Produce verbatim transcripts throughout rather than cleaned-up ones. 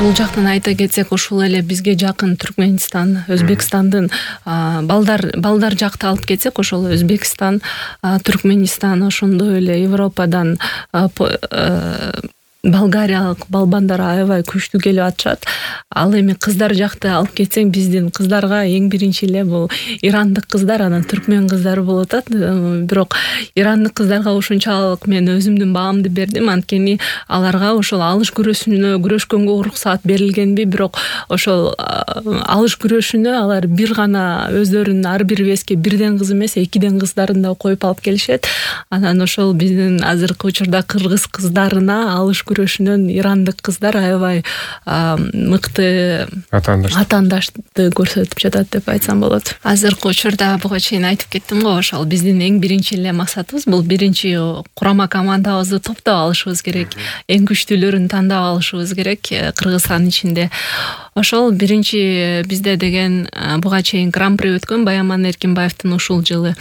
Бул жактан айта кетсек, ушул эле бизге жакын Түркмөнстан, Өзбекстандын балдар балдар жакты алып кетсек, ошол Өзбекстан, Түркмөнстан, ошондой эле Европадан болгариялык балбандар аябай күчтүү келип атышат. Ал эми кыздар жакты алып кетсең, биздин кыздарга эң биринчи эле бул ирандык кыздар, анан түркмөн кыздары болуп атат. Бирок ирандык кыздарга ушунчалык мен өзүмдүн баамды бердим, анткени аларга ошол алыш күрөшүнө күрөшкөнгө уруксаат берилгенби, бирок ошол алыш күрөшүнө алар бир гана өздөрүнүн ар бир веске бирден кыз эмес, экиден кыздарын да коюп алып келишет. Анан ошол биздин азыркы учурда кыргыз кыздарына алыш күрөшүнөн ирандык кыздар аябай мыкты атаандашты көрсөтүп жатат деп айтсам болот. Азыркы учурда буга чейин айтып кеттим го, ошол биздин эң биринчи эле максатыбыз бул биринчи курама командабызды топтоп алышыбыз керек. Эң күчтүүлөрүн тандап алышыбыз керек Кыргызстан ичинде. Ошол биринчи бизде деген буга чейин гран-при өткөн Баяман Эркинбаевдин ушул жылы.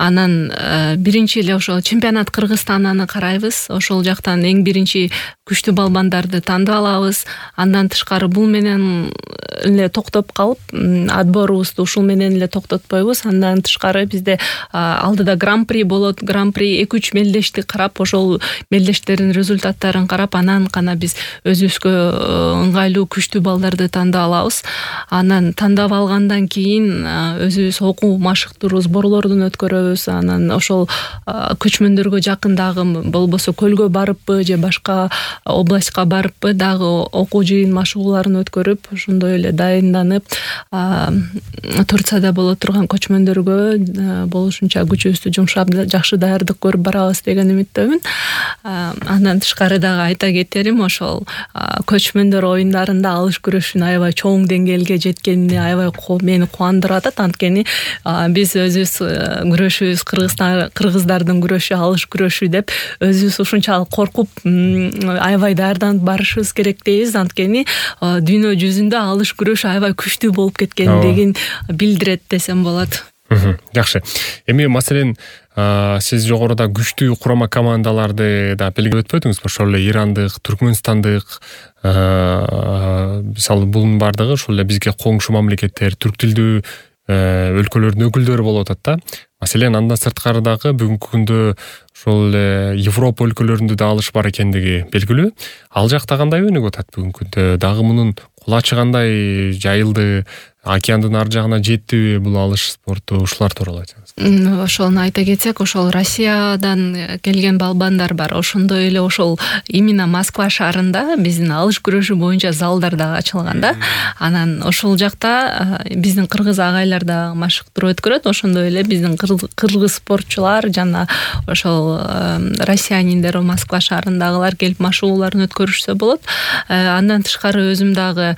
Анан биринчи эле ошол чемпионат Кыргызстананы карайбыз. Ошол жактан эң биринчи күчтүү балбандарды тандап алабыз. Андан тышкары бул менен эле токтоп калып, отборубузду ушул менен эле токтотпойбуз. Андан тышкары бизде алдыда гран-при болот. Гран-при эки үч мелдешти карап, ошол мелдештердин результаттарын карап, анан гана биз өзүбүзгө ыңгайлуу күчтүү балдарды тандап алабыз. Анан тандап алгандан кийин өзүбүз окуу машыктыруу сборлордун өткөрөбүз. Анан ошол көчмөндөргө жакындагы болбосо көлгө барыппы же башка областка барыппы дагы окуу жыйын машыгууларын өткөрүп, ошондой эле дайынданып, Турцияда боло турган көчмөндөргө болушунча күчүбүздү жумшап жакшы даярдык көрүп барабыз деген үмүттөмүн. Андан тышкары дагы айта кетерим, ошол көчмөндөр оюндарында алыш күрөшүнүн аябай чоң деңгээлге жеткени аябай мени кубандырып атат. Анткени биз өзүбүз күрөшүбүз Кыргызстан кыргыздардын күрөшү алыш күрөшү деп өзүбүз ушунчалык коркуп аябай даярданып барышыбыз керек дейбиз. Анткени дүйнө жүзүндө алыш күрөшү аябай күчтүү болуп кеткендигин билдирет десем болот. Жакшы. Эми маселен сиз жогоруда күчтүү курама командаларды да белгилеп өтпөдүңүзбү? Ошол эле ирандык, түркмөнстандык, мисалы бунун бардыгы ошол эле бизге коңшу мамлекеттер, түрк тилдүү өлкөлөрдүн өкүлдөрү болуп атат да. Маселен, андан сырткары дагы бүгүнкү күндө ошол эле Европа өлкөлөрүндө да алыш бар экендиги белгилүү. Ал жакта кандай өнүгүп атат бүгүнкү күндө? Дагы мунун кулачы кандай жайылды? Океандын ар жагына жеттиби бул алыш спорту? Ушулар тууралуу айтыңыз. Ошону айта кетсек, ошол Россиядан келген балбандар бар. Ошондой эле ошол именно Москва шаарында биздин алыш күрөшү боюнча залдар дагы ачылган да. Анан ошол жакта биздин кыргыз агайлар да машыктыруу өткөрөт. Ошондой эле биздин кыргыз спортчулар жана ошол россияниндер Москва шаарындагылар келип машыгууларын өткөрүшсө болот. Андан тышкары өзүм дагы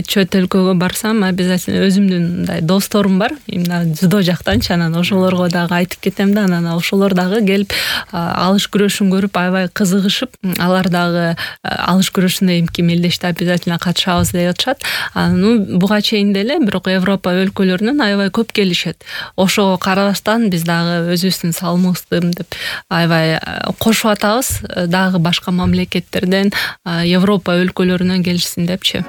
чөт өлкөгө барсам, обязательно өзүмдүн мындай досторум бар, именно дзюдо жактанчы, анан ошолорго дагы айтып кетем да, анан ошолор дагы келип алыш күрөшүн көрүп аябай кызыгышып, алар дагы алыш күрөшүнө эмки мелдеште обязательно катышабыз деп атышат. Анан буга чейин деле бирок Европа өлкөлөрүнөн аябай көп келишет. Ошого карабастан биз дагы өзүбүздүн салымыбызды деп аябай кошуп атабыз, дагы башка мамлекеттерден, Европа өлкөлөрүнөн келишсин депчи.